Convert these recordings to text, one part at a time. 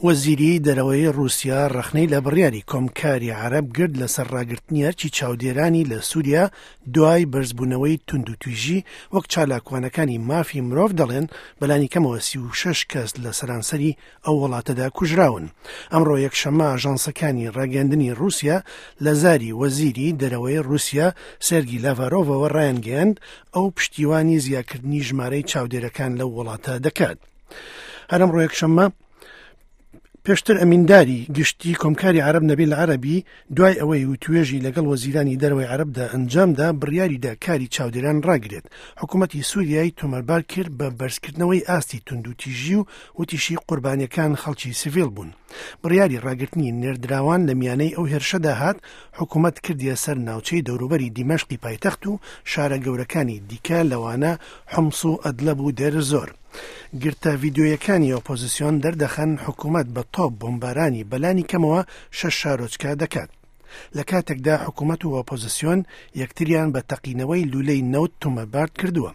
وەزیری دەرەوەی ڕووسیا ڕەخنەی لە بڕیاری کۆمکاری عەرەب گرت لەسەر ڕاگرتنی ئەرکی چاودێرانی لە سووریا دوای بەرزبوونەوەی توندوتیژی، وەک چالاکوانەکانی مافی مرۆڤ دەڵێن بەلانی کەمەوە 36 کەس لە سەرانسەری ئەو وڵاتەدا کوژراون. ئەمڕۆ یەکشەممە ئاژانسەکانی ڕاگەیاندنی ڕووسیا لە زاری وەزیری دەرەوەی ڕووسیا سێرگی لاڤارۆڤەوە ڕایانگەیاند ئەو پشتیوانی زیاکردنی ژمارەی چاودێرەکان لەو وڵاتە دەکات. هەر ئەمڕۆ یەکشەممە پێشتر ئەمینداری گشتی کۆمکاری عەرەب نەبیل عەرەبی دوای ئەوەی وتوێژی لەگەڵ وەزیرانی دەرەوەی عەرەبدا ئەنجامدا بڕیاریدا کاری چاودێران ڕاگرێت حکوومەتی سووریای تۆمەتبار کرد بە بەرزکردنەوەی ئاستی توندوتیژی و وتیشی قوربانیەکان خەڵکی سیڤیل بوون بڕیاری ڕاگرتنی نێردراوان لە میانەی ئەو هێرشەدا هات حکوومەت کردیە سەر ناوچەی دەوروبەری دیمەشقی پایتەخت و شارە گەورەکانی دیکە لەوانە حمس و ئەدلەب و دێرزۆر. گرتە ڤیدیۆیەکانی ئۆپۆزسیۆن دەردەخەن حکومەت بە تۆپ بۆمبارانی بەلانی کەمەوە شەش شارۆچکە دەکات. لە کاتێکدا حکومەت و ئۆپۆزسیۆن یەکتریان بە تەقینەوەی لولەی نەوت تۆمەتبار کردووە.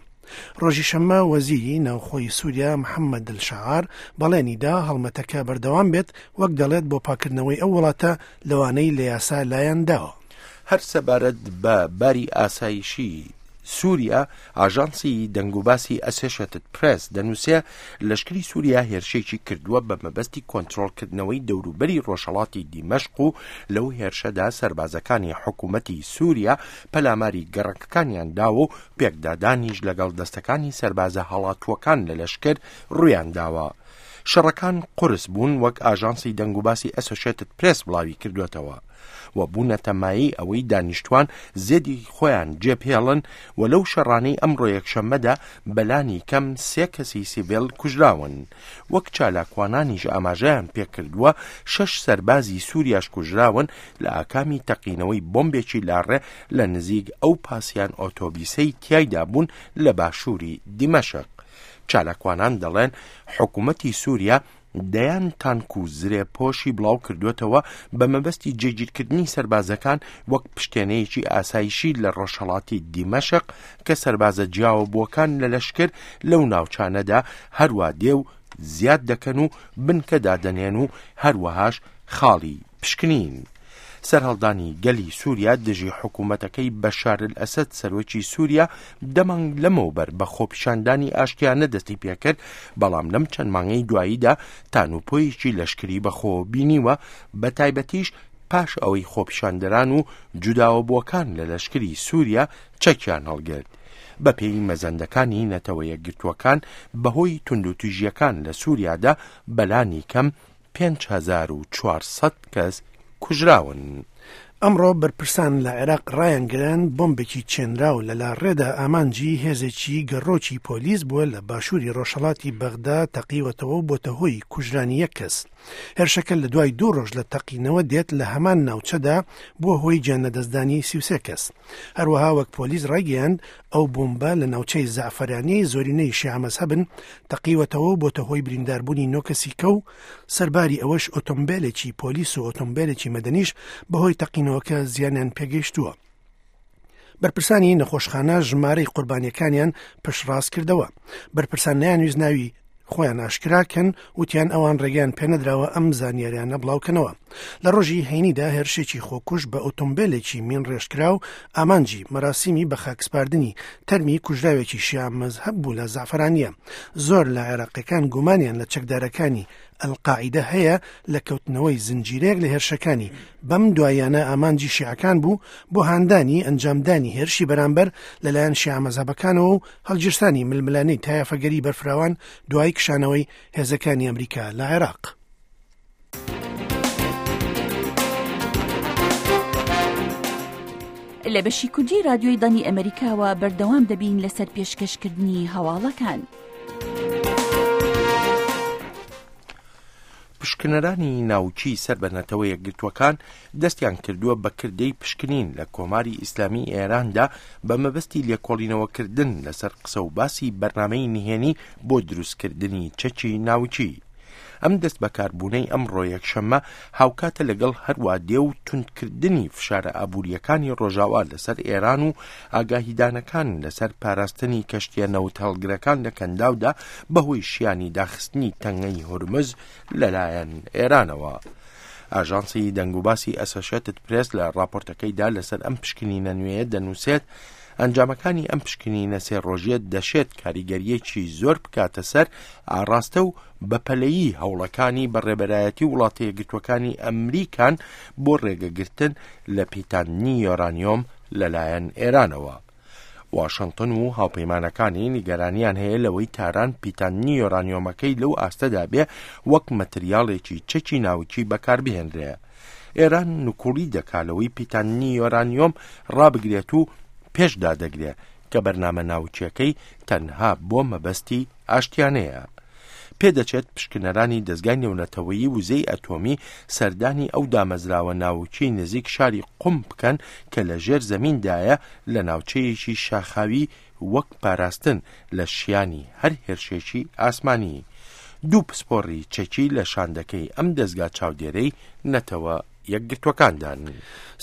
ڕۆژی شەممە وەزیری ناوخۆی سووریا محەممەد الشەعار بەڵێنی دا هەڵمەتەکە بەردەوام بێت وەک دەڵێت بۆ پاکردنەوەی ئەو وڵاتە لەوانەی لە یاسا لایان داوە. هەر سەبارەت بە باری ئاسایشی سووریا، ئاژانسی دەنگوباسی ئەسێشێتد پرێس دەنووسێ، لەشکری سووریا هێرشێکی کردووە بە مەبەستی کۆنترۆڵکردنەوەی دەوروبەری ڕۆژهەڵاتی دیمەشق و لەو هێرشەدا سەربازەکانی حکوومەتی سووریا پەلاماری گەڕەکەکانیان داوە و پێکدادانیش لەگەڵ دەستەکانی سەربازە هەڵاتووەکان لە لەشکر ڕوویان داوە. شەڕەکان قورس بوون وەک ئاژانسی دەنگوباسی ئەسۆشێتد پرێس بڵاوی کردووەتەوە. و بوونەتە مایەی ئەوەی دانیشتوان زێدی خۆیان جێبهێڵن و لەو شەڕانەی ئەمڕۆ یەکشەممەدا بەلانی کەم سێ کەسی سیڤیل کوژراون. وەک چالاکوانانیش ئاماژەیان پێکردووە شەش سەربازی سوریاش کوژراون لە ئاکامی تەقینەوەی بۆمبێکی لاڕێ لە نزیک ئەو پاسیان ئۆتۆبیسەی تیایدا بوون لە باشووری دیمەشق. چالاکوانان دەڵێن حکومەتی سوریا دەیان تانک و زرێپۆشی بڵاوکردووەتەوە بە مەبەستی جێگیرکردنی سەربازەکان وەک پشتێنەیەکی ئاسایشی لە ڕۆژهەڵاتی دیمەشق کە سەربازە جیاوەبووەکان لە لەشکر لەو ناوچانەدا هەروا دێ و زیاد دەکەن و بنکە دادەنێن و هەروەهاش خاڵی پشکنین. سەرهەڵدانی گەلی سووریا دژی حکوومەتەکەی بەشار ئەسەد سەرۆکی سووریا دە مانگ لەمەوبەر بە خۆپیشاندانی ئاشتیانە دەستی پێکرد، بەڵام لەم چەند مانگەی دواییدا تانوپۆیەکی لەشکری بەخۆوە بینیوە، بەتایبەتیش پاش ئەوەی خۆپیشاندەران و جوداوەبووەکان لە لەشکری سووریا چەکیان هەڵگرت. بەپێی مەزەندەکانی نەتەوە یەکگرتووەکان بەهۆی توندوتیژییەکان لە سووریادا بەلانی کەم 5400 کەس کوژراون. ئەمڕۆ بەرپرسان لە عێراق ڕایانگەیاند، بۆمبێکی چێنراو لە لاڕێدا ئامانجی هێزێکی گەڕۆکی پۆلیس بووە لە باشووری ڕۆژهەڵاتی بەغدا تەقیوەتەوە و بۆتە هۆی کوژرانی یەک کەس. هێرشەکە لە دوای دوو ڕۆژ لە تەقینەوە دێت لە هەمان ناوچەدا بووە هۆی گیانلەدەستدانی 33 کەس. هەروەها وەک پۆلیس ڕایگەیاند، ئەو بۆمبە لە ناوچەی زەعفەرانیەی زۆرینەی شیعە مەزهەبن تەقیوەتەوە و بۆتە هۆی برینداربوونی نۆ کەسی کە و سەرباری ئەوەش ئۆتۆمبێلێکی پۆلیس و ئۆتۆمبێلێکی مەدەنیش بەهۆی تەقینەوەکە زیانیان پێگەیشتووە. بەرپرسانی نەخۆشخانە ژمارەی قوربانیەکانیان پشتڕاست کردەوە. بەرپرسان نەیانویست ناوی خۆیان ئاشکرا کەن وتیان ئەوان ڕێگەیان پێنەدراوە ئەم زانیاریانە بڵاوکەنەوە. لە ڕۆژی هەینیدا هێرشێکی خۆکوژ بە ئۆتۆمبێلێکی مین ڕێژکراو ئامانجی مەراسیمی بەخاکسپاردنی تەرمی کوژراوێکی شیعە مەزهەب بوو لە زەعفەرانیە. زۆر لە عێراقیەکان گومانیان لە چەکدارەکانی ئەلقاعیدە هەیە لە کەوتنەوەی زنجیرەیەک لە هێرشەکانی بەم دواییانە ئامانجی شیعەکان بوو بۆ هاندانی ئەنجامدانی هێرشی بەرامبەر لەلایەن شیعە مەزهەبەکانەوە و هەڵگیرسانی ململانێی تایەفەگەری بەرفراوان دوای کشانەوەی هێزەکانی ئەمریکا لە عێراق. لە بەشی کوردی رادیۆی دەنگی ئەمەریکاوە بەردەوام دەبین لەسەر پێشکەشکردنی هەواڵەکان. پشکنەرانی ناوکی سەر بە نەتەوە یەکگرتووەکان دەستیان کردووە بە کردەی پشکنین لە کۆماری ئیسلامی ئێراندا بە مەبەستی لێکۆڵینەوەکردن لەسەر قسە و باسی بەرنامەی نهێنی بۆ دروستکردنی چەکی ناوکی. ئەم دەستبەکاربوونەی ئەمڕۆ یەکشەممە هاوکاتە لەگەڵ هەروا دێ و توندکردنی فشارە ئابوورییەکانی ڕۆژاوا لەسەر ئێران و ئاگاهیدانەکان لەسەر پاراستنی کەشتییە نەوتهەڵگرەکان لە کەنداودا بەهۆی شیانی داخستنی تەنگەی هورمز لەلایەن ئێرانەوە. ئاژانسی دەنگوباسی ئەسەشێتد پرێس لە ڕاپۆرتەکەیدا لەسەر ئەم پشکنینە نوێیە دەنووسێت، ئەنجامەکانی ئەم پشکنینە سێ ڕۆژیە دەشێت کاریگەرییەکی زۆر بکاتە سەر ئاڕاستە و بەپەلەیی هەوڵەکانی بە ڕێبەرایەتی وڵاتە یەکگرتووەکانی ئەمریکان بۆ ڕێگەگرتن لە پیتاندنی یۆرانیۆم لەلایەن ئێرانەوە. واشنتن و هاوپەیمانەکانی نیگەرانیان هەیە لەوەی تاران پیتاندنی یۆرانیۆمەکەی لەو ئاستەدا بێ وەک مەتریاڵێکی چەکی ناوکی بەکاربهێنرێ. ئێران نکوڵی دەکا لەوەی پیتاندنی یۆرانیۆم ڕابگرێت و پێش دادەگرێ کە بەرنامە ناوکیەکەی تەنها بۆ مەبەستی ئاشتیانەیە. پێدەچێت پشکنەرانی دەزگای نێونەتەوەیی وزەی ئەتۆمی سەردانی ئەو دامەزراوە ناوکیەی نزیک شاری قوم بکەن کە لە ژێر زەمیندایە لە ناوچەیەکی شاخاوی وەک پاراستن لە شیانی هەر هێرشێکی ئاسمانی. دوو پسپۆڕی چەکی لە شاندەکەی ئەم دەزگا چاودێرەی نەتەوە یەکگرتووەکاندان.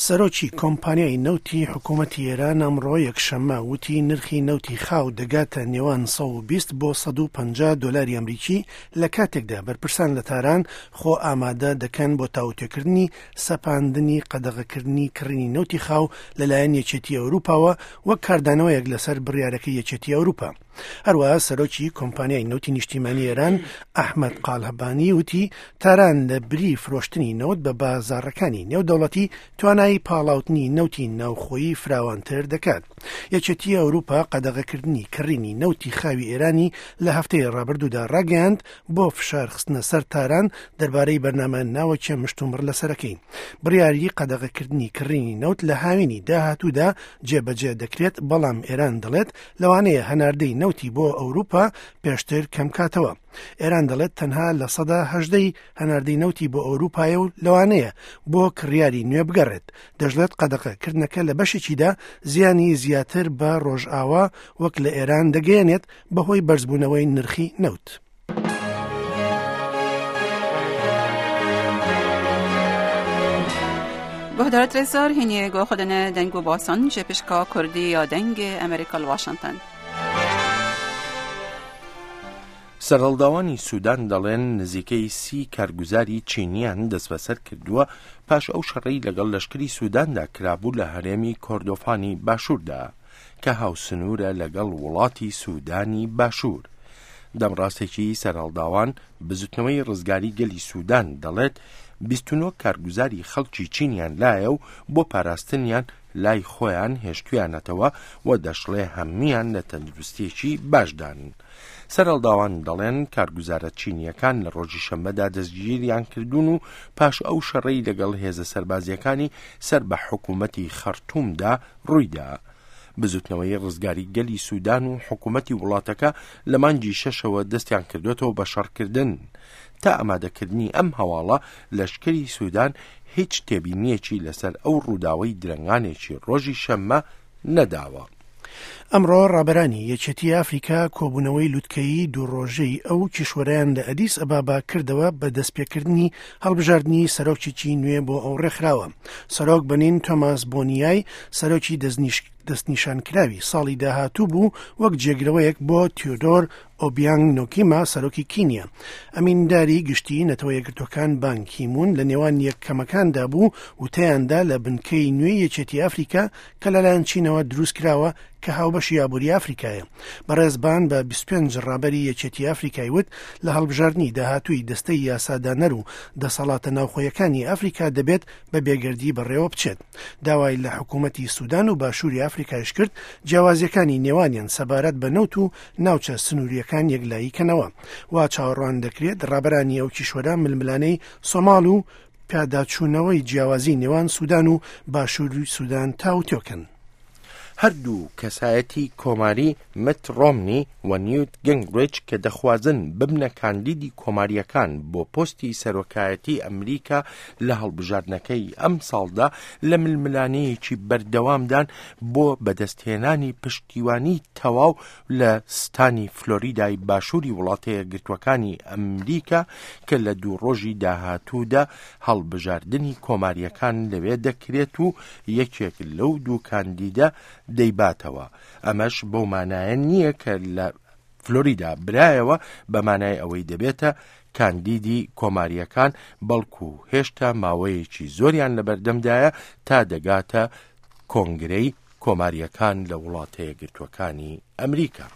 سەرۆکی کۆمپانیای نەوتی حکوومەتی ئێران ئەمڕۆ یەکشەممە وتی نرخی نەوتی خاو دەگاتە نێوان 120 بۆ 150 دۆلاری ئەمریکی لە کاتێکدا بەرپرسان لە تاران خۆ ئامادە دەکەن بۆ تاوتوێکردنی سەپاندنی قەدەغەکردنی کڕینی نەوتی خاو لەلایەن یەکێتی ئەوروپاوە وەک کاردانەوەیەک لەسەر بڕیارەکەی یەکێتی ئەوروپا. هەروەها سەرۆکی کۆمپانیای نەوتی نیشتیمانی ئێران ئەحمەد قالهبانی وتی تاران لە بری فرۆشتنی نەوت بە بازاڕەکانی نێودەوڵەتی توانایی پاڵاوتنی نەوتی ناوخۆیی فراوانتر دەکات. یەکێتی ئەوروپا قەدەغەکردنی کڕینی نەوتی خاوی ئێرانی لە هەفتەی ڕابردوودا ڕاگەیاند بۆ فشار خستنە سەر تاران دەربارەی بەرنامە ناوەکیە مشتومڕ لەسەرەکەی. بڕیاری قەدەغەکردنی کڕینی نەوت لە هاوینی داهاتوودا جێبەجێ دەکرێت، بەڵام ئێران دەڵێت لەوانەیە هەناردەی نەوتی بۆ ئەوروپا پێشتر کەمکاتەوە. ئێران دەڵێت تەنها 18% ی هەناردەی نەوتی بۆ ئەوروپایە و لەوانەیە بۆ کڕیاری نوێ بگەڕێت. دەشڵێت قەدەغە کردنەکە لە بەشێکیدا زیانی زیاتر بە ڕۆژئاوا وەک لە ئێران دەگەیەنێت بەهۆی بەرزبوونەوەی نرخی نەوت. گهدارت رزار هینی گو خودن دنگ و باسان جه پشکا کردی یا دەنگ ئەمریکا واشنگتن. سەرهەڵداوانی سودان دەڵێن نزیکەی سی کارگوزاری چینیان دەستبەسەر کردووە پاش ئەو شەڕەی لەگەڵ لەشکری سوداندا کرابوو لە هەرێمی کۆردۆفانی باشووردا کە هاوسنوورە لەگەڵ وڵاتی سودانی باشوور. دەمڕاستێکی سەرهەڵداوان بزوتنەوەی ڕزگاری گەلی سودان دەڵێت 29 کارگوزاری خەڵکی چینیان لایە و بۆ پاراستنیان لای خۆیان هێشتویانەتەوە و دەشڵێ هەموویان لە تەندروستیەکی باشدان. سەرهەڵداوان دەڵێن کارگوزارە چینییەکان لە ڕۆژی شەممەدا دەستگیریان کردوون و پاش ئەو شەڕەی لەگەڵ هێزە سەربازییەکانی سەر بە حکوومەتی خەڕتوومدا ڕوویدا. بزوتنەوەی ڕزگاری گەلی سودان و حکوومەتی وڵاتەکە لە مانگی شەشەوە دەستیان کردوێتەوە بە شەڕکردن. تا ئامادەکردنی ئەم هەواڵە لەشکری سودان هیچ تێبینییەکی لەسەر ئەو ڕووداوەی درەنگانێکی ڕۆژی شەممە نەداوە. ئەمڕۆ ڕابەرانی یەکێتی ئەفریکا کۆبوونەوەی لوتکەیی دوو ڕۆژەی ئەو کیشوەرەیان لە ئەدیس ئەبابا کردەوە بە دەستپێکردنی هەڵبژاردنی سەرۆکێکی نوێ بۆ ئەو ڕێکخراوە. سەرۆک بەنین تۆماس بۆنیای سەرۆکی دەستنیشانکراوی ساڵی داهاتوو بوو وەک جێگرەوەیەک بۆ تیۆدۆر ئۆبیانگ نۆکیما سەرۆکی کینیا. ئەمینداری گشتیی نەتەوە یەکگرتووەکان بان کی مون لە نێوان یەکەمەکاندا بوو وتەیاندا لە بنکەی نوێی یەکێتی ئەفریکا کە لەلایەن چینەوە دروستکراوە کە هاوبەشی ئابووری ئەفریکایە. بەڕێز بان بە 25 ڕابەری یەکێتی ئەفریکای وت لە هەڵبژاردنی داهاتووی دەستەی یاسادانەر و دەسەڵاتە ناوخۆیەکانی ئەفریکا دەبێت بە بێگەردی بەڕێوە بچێت. داوای لە حکوومەتی سودان و باشووری ئەفریکایش کرد جیاوازییەکانی نێوانیان سەبارەت بە نەوت و ناوچە سنوورییەکان یەکلایی کەنەوە. وا چاوەڕوان دەکرێت ڕابەرانی ئەو کیشوەرە ململانێی سۆماڵ و پیاداچوونەوەی جیاوازی نێوان سودان و باشووری سودان تاوتوێ کەن. هەردوو کەسایەتی کۆماری مت ڕۆمنی و نیوت گنگریچ کە دەخوازن ببنە کاندیدی کۆمارییەکان بۆ پۆستی سەرۆکایەتی ئەمریکا لە هەڵبژاردنەکەی ئەمساڵدا لە ململانێیەکی بەردەوامدان بۆ بەدەستهێنانی پشتیوانی تەواو لە ستانی فلۆریدای باشووری وڵاتەیەکگرتووەکانی ئەمریکا کە لە دوو ڕۆژی داهاتوودا هەڵبژاردنی کۆمارییەکان لەوێ دەکرێت و یەکێک لەو دوو کاندیدە دەیباتەوە. ئەمەش بەو مانایە نییە کە لە فلۆریدا برایەوە بە مانای ئەوەی دەبێتە کاندیدی کۆمارییەکان، بەڵکو هێشتا ماوەیەکی زۆریان لەبەردەمدایە تا دەگاتە کۆنگرەی کۆمارییەکان لە وڵاتەیەکگرتووەکانی ئەمریکا.